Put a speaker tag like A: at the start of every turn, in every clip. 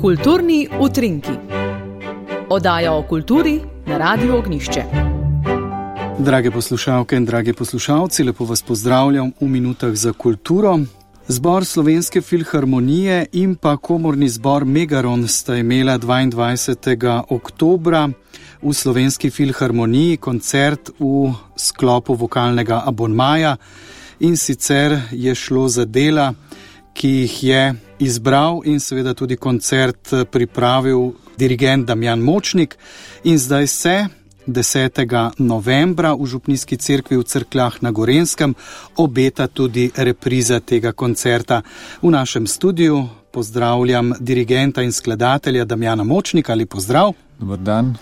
A: Kulturni utrinki. Oddaja o kulturi na Radiu Ognjišče.
B: Drage poslušalke in dragi poslušalci, lepo vas pozdravljam v minutah za kulturo. Zbor Slovenske filharmonije in pa komorni zbor Megaron sta imela 22. oktobra v Slovenski filharmoniji koncert v sklopu vokalnega abonmaja, in sicer je šlo za dela, ki jih je izbral in seveda tudi koncert pripravil dirigent Damjan Močnik. In zdaj se 10. novembra v Župnijski cerkvi v Cerkljah na Gorenjskem obeta tudi repriza tega koncerta. V našem studiu pozdravljam dirigenta in skladatelja Damjana Močnika. Lep pozdrav.
C: Dobar dan.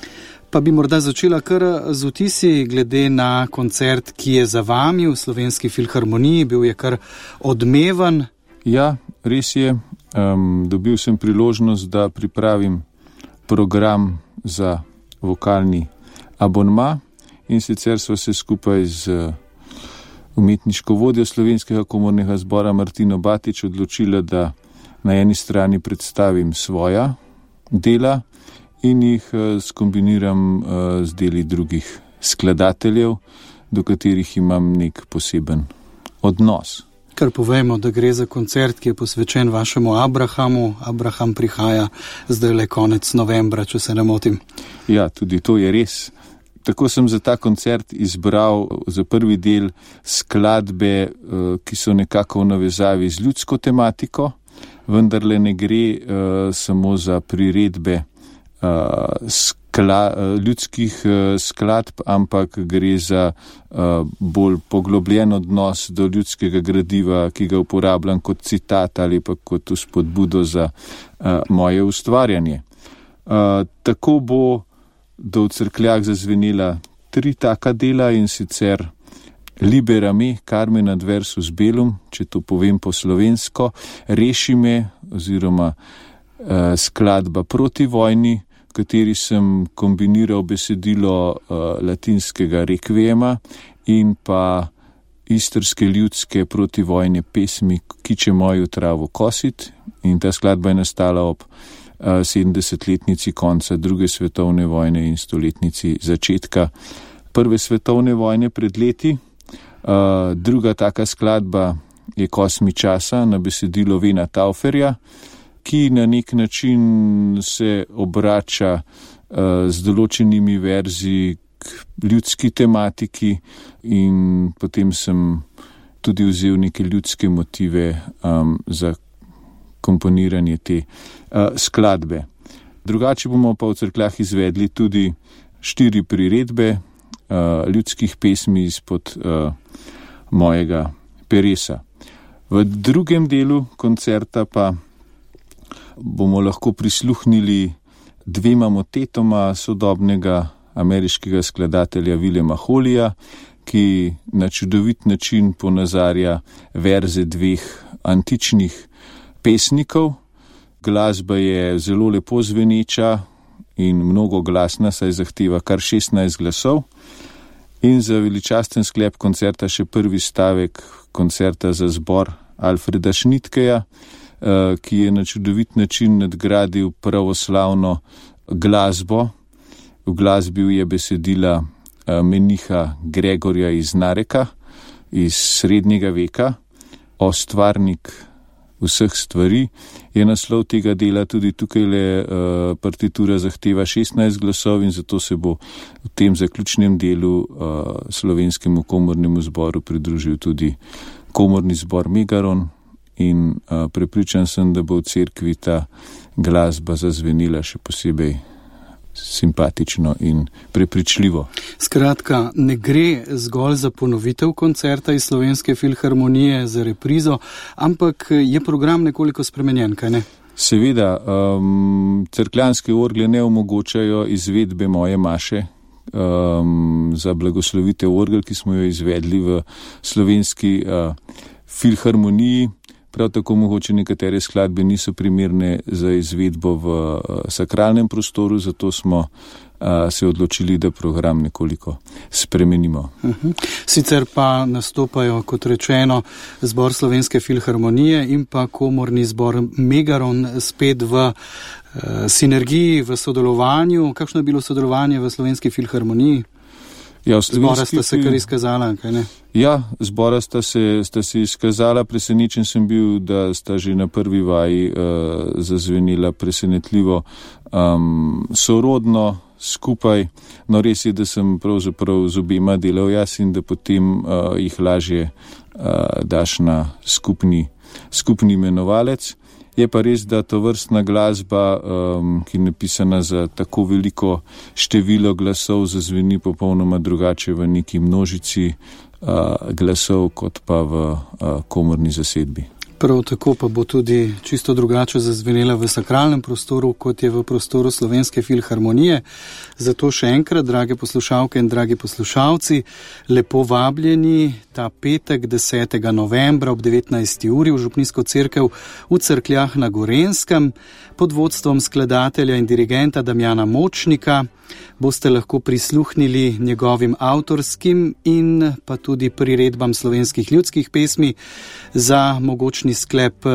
B: Pa bi morda začela kar z vtisi glede na koncert, ki je za vami v Slovenski filharmoniji. Bil je kar odmeven.
C: Ja, res je. Dobil sem priložnost, da pripravim program za vokalni abonma, in sicer sva se skupaj z umetniško vodjo Slovenskega komornega zbora Martino Batič odločila, da na eni strani predstavim svoja dela in jih skombiniram z deli drugih skladateljev, do katerih imam nek poseben odnos.
B: Kar povejmo, da gre za koncert, ki je posvečen vašemu Abrahamu. Abraham prihaja zdaj le konec novembra, če se ne motim.
C: Ja, tudi to je res. Tako sem za ta koncert izbral za prvi del skladbe, ki so nekako v navezavi z ljudsko tematiko, vendarle ne gre samo za priredbe ljudskih skladb, ampak gre za bolj poglobljen odnos do ljudskega gradiva, ki ga uporabljam kot citat ali pa kot vzpodbudo za moje ustvarjanje. Tako bo do v Cerkljah zazvenela 3 taka dela, in sicer Libera me, Carmen adversus bellum, če to povem po slovensko, Reši me oziroma skladba proti vojni, v kateri sem kombiniral besedilo latinskega rekviema in pa istrske ljudske protivojne pesmi Kiče moju travo kosit, in ta skladba je nastala ob 70-letnici konca druge svetovne vojne in 100-letnici začetka prve svetovne vojne pred leti. Druga taka skladba je Kosmi časa na besedilo Vena Tauferja, ki na nek način se obrača z določenimi verzi k ljudski tematiki, in potem sem tudi vzel neke ljudske motive za komponiranje te skladbe. Drugače bomo pa v Cerkljah izvedli tudi 4 priredbe ljudskih pesmi izpod mojega peresa. V drugem delu koncerta pa bomo lahko prisluhnili 2 motetoma sodobnega ameriškega skladatelja Williama Holleyja, ki na čudovit način ponazarja verze 2 antičnih pesnikov. Glasba je zelo lepo zveneča in mnogo glasna, saj zahteva kar 16 glasov. In za veličasten sklep koncerta še prvi stavek koncerta za zbor Alfreda Schnittkeja, ki je na čudovit način nadgradil pravoslavno glasbo. V glasbi je besedila meniha Gregorja iz Nareka iz srednjega veka, O stvarnik vseh stvari. Je naslov tega dela, tudi tukaj partitura zahteva 16 glasov, in zato se bo v tem zaključnem delu Slovenskemu komornemu zboru pridružil tudi komorni zbor Megaron, in prepričan sem, da bo v cerkvi ta glasba zazvenila še posebej simpatično in prepričljivo.
B: Skratka, ne gre zgolj za ponovitev koncerta iz Slovenske filharmonije, za reprizo, ampak je program nekoliko spremenjen, kaj ne?
C: Seveda, cerkljanske orgle ne omogočajo izvedbe moje maše za blagoslovitev orgel, ki smo jo izvedli v Slovenski filharmoniji. prav tako mogoče nekatere skladbe niso primerne za izvedbo v sakralnem prostoru, zato smo se odločili, da program nekoliko spremenimo.
B: Sicer pa nastopajo, kot rečeno, zbor Slovenske filharmonije in pa komorni zbor Megaron spet v sinergiji, v sodelovanju. Kakšno je bilo sodelovanje v Slovenski filharmoniji?
C: Ja,
B: zbora sta se kar izkazala, kaj ne?
C: Ja, zbora sta se izkazala, presenečen sem bil, da sta že na prvi vaji zazvenila presenetljivo sorodno skupaj. No, res je, da sem pravzaprav z obema delal jaz in da potem jih lažje daš na skupni imenovalec. Je pa res, da to vrstna glasba, ki je napisana za tako veliko število glasov, zazveni popolnoma drugače v neki množici glasov, kot pa v komorni zasedbi.
B: Prav tako pa bo tudi čisto drugače zazvenela v sakralnem prostoru, kot je v prostoru Slovenske filharmonije. Zato še enkrat, drage poslušalke in dragi poslušalci, lepo vabljeni ta petek 10. novembra ob 19. uri v Župnijsko cerkev v Cerkljah na Gorenjskem pod vodstvom skladatelja in dirigenta Damjana Močnika. Boste lahko prisluhnili njegovim avtorskim in pa tudi priredbam slovenskih ljudskih pesmi. Za mogočni sklep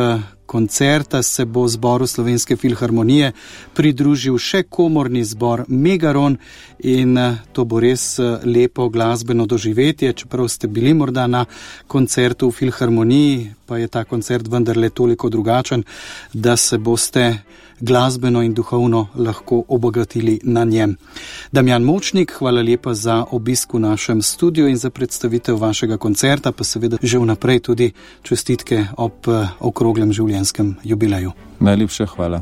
B: koncerta se bo zboru Slovenske filharmonije pridružil še komorni zbor Megaron in to bo res lepo glasbeno doživetje. Čeprav ste bili morda na koncertu v filharmoniji, pa je ta koncert vendarle toliko drugačen, da se boste glasbeno in duhovno lahko obogatili na njem. Damjan Močnik, hvala lepa za obisk v našem studiu in za predstavitev vašega koncerta, pa seveda že vnaprej tudi čestitke ob okroglem življenjskem jubileju.
C: Najlepša hvala.